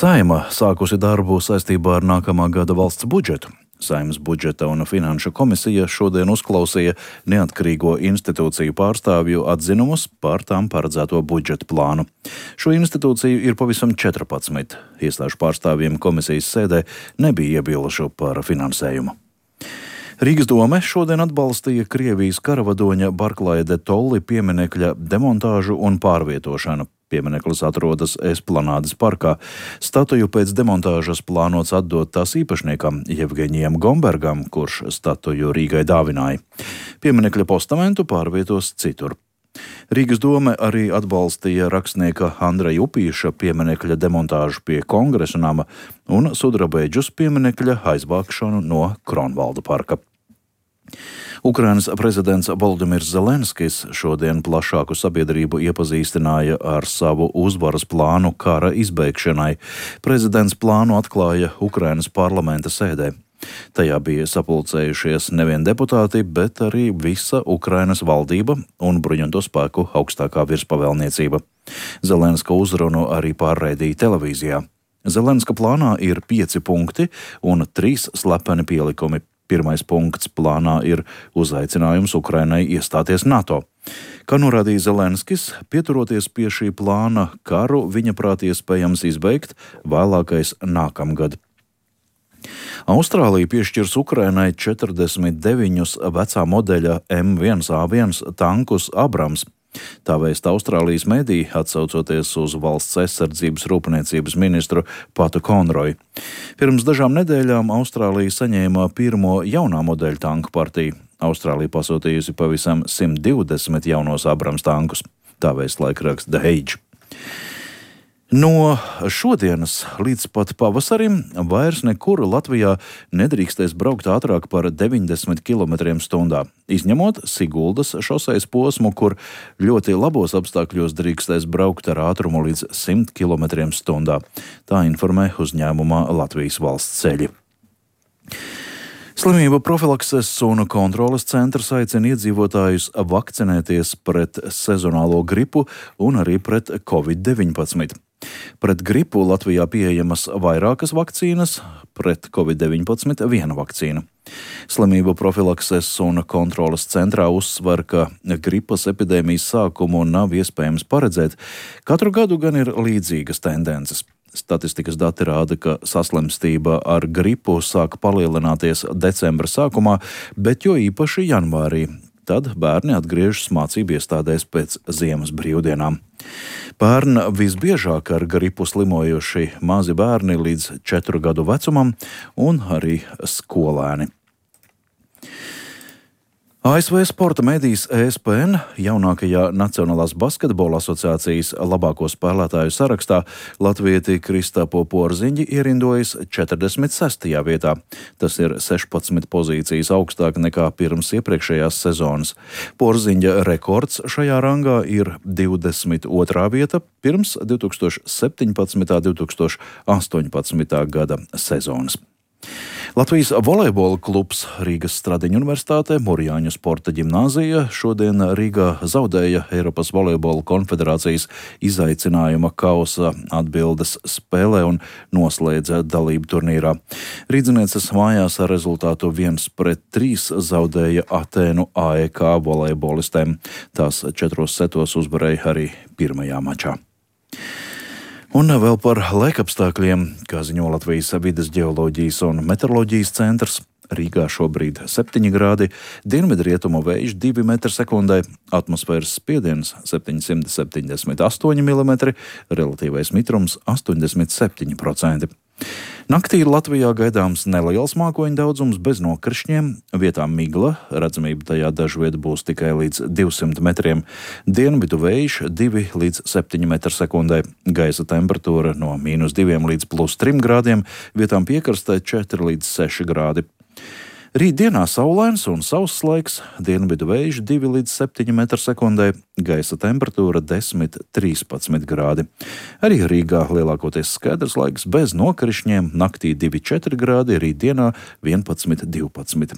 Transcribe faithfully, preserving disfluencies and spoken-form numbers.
Saeima sākusi darbu saistībā ar nākamā gada valsts budžetu. Saeimas budžeta un finanšu komisija šodien uzklausīja neatkarīgo institūciju pārstāvju atzinumus par tām paredzēto budžeta plānu. Šo institūciju ir pavisam četrpadsmit. Iestāžu pārstāvjiem komisijas sēdē nebija iebilžu par finansējumu. Rīgas dome šodien atbalstīja Krievijas karavadoņa Barklaja de Tolli pieminekļa demontāžu un pārvietošanu. Piemineklis atrodas Esplanādes parkā. Statuju pēc demontāžas plānots atdot tās īpašniekam Jevgeņijam Gombergam, kurš statuju Rīgai dāvināja. Pieminekļa postamentu pārvietos citur. Rīgas dome arī atbalstīja rakstnieka Andreja Upīša pieminekļa demontāžu pie Kongresa nama un Sudrabeģus pieminekļa aizvākšanu no Kronvalda parka. Ukrainas prezidents Volodimirs Zelenskis šodien plašāku sabiedrību iepazīstināja ar savu uzvaras plānu kara izbeigšanai. Prezidents plānu atklāja Ukrainas parlamenta sēdē. Tajā bija sapulcējušies nevien deputāti, bet arī visa Ukrainas valdība un bruņoto spēku augstākā virspavēlniecība. Zelenska uzrunu arī pārraidīja televīzijā. Zelenska plānā ir pieci punkti un trīs slepeni pielikumi. Pirmais punkts plānā ir uzaicinājums Ukrainai iestāties NATO. Kā norādīja Zelenskis, pieturoties pie šī plāna, karu viņa prāt iespējams izbeigt vēlākais nākamgad. Austrālija piešķirs Ukrainai četrdesmit deviņus vecā modeļa M viens A viens tankus Abrams. Tā vēsta Austrālijas mediji, atsaucoties uz valsts aizsardzības rūpniecības ministru Patu Konroju. Pirms dažām nedēļām Austrālija saņēma pirmo jaunā modeļa tanku partiju. Austrālija pasūtījusi pavisam simt divdesmit jaunos Abrams tankus. Tā vēsta laikraksts The Age. No šodienas līdz pat pavasarim vairs nekur Latvijā nedrīkstēs braukt ātrāk par deviņdesmit kilometriem stundā, izņemot Siguldas šosejas posmu, kur ļoti labos apstākļos drīkstēs braukt ar ātrumu līdz simt kilometriem stundā. Tā informē uzņēmumā Latvijas valsts ceļi. Slimību profilakses un kontroles centrs aicina iedzīvotājus vakcinēties pret sezonālo gripu un arī pret covid deviņpadsmit. Pret gripu Latvijā pieejamas vairākas vakcīnas, pret covid deviņpadsmit viena vakcīna. Slimību profilakses un kontroles centrā uzsver, ka gripas epidēmijas sākumu nav iespējams paredzēt. Katru gadu gan ir līdzīgas tendences. Statistikas dati rāda, ka saslimstība ar gripu sāka palielināties decembra sākumā, bet jo īpaši janvārī. Tad bērni atgriežas mācību iestādēs pēc ziemas brīvdienām. Pērn visbiežāk ar gripu slimojuši mazi bērni līdz četru gadu vecumam un arī skolēni. A S V sporta medijas E S P N jaunākajā Nacionālās basketbola asociācijas labāko spēlētāju sarakstā latvieti Kristapo Porziņģi ierindojas četrdesmit sestajā vietā. Tas ir sešpadsmit pozīcijas augstāk nekā pirms iepriekšējās sezonas. Porziņģa rekords šajā rangā ir divdesmit otrā vieta pirms divs tūkstoši septiņpadsmitā un divs tūkstoši astoņpadsmitā gada sezonas. Latvijas volejbola klubs Rīgas Stradiņu universitātē Mūrjāņu sporta ģimnāzija šodien Rīgā zaudēja Eiropas volejbola konfederācijas izaicinājuma kausa atbildes spēlē un noslēdza dalību turnīrā. Rīdzinieces mājās ar rezultātu viens pret trīs zaudēja Atēnu A E K volejbolistēm. Tās četros setos uzvarēja arī pirmajā mačā. Un vēl par laikapstākļiem, kā ziņo Latvijas vides ģeoloģijas un meteoroloģijas centrs. Rīgā šobrīd septiņi grādi, dienvidrietumu vējš divi metri sekundē, atmosfēras spiediens septiņsimt septiņdesmit astoņi milimetri, relatīvais mitrums astoņdesmit septiņi procenti. Naktī Latvijā gaidāms neliels mākoņu daudzums bez nokrišņiem, vietām migla, redzamība tajā dažviet būs tikai līdz divsimt metriem, dienvidu vējš divi līdz septiņi metri sekundē, gaisa temperatūra no mīnus diviem līdz plus trim grādiem, vietām piekrastē četri līdz seši grādi. Rīt dienā saulains un sauss laiks, dienvidu vējš divi līdz septiņi metri sekundē, gaisa temperatūra desmit līdz trīspadsmit grādi. Arī Rīgā lielākoties skaidrs laiks bez nokrišņiem, naktī divi četri grādi, rīt dienā vienpadsmit divpadsmit.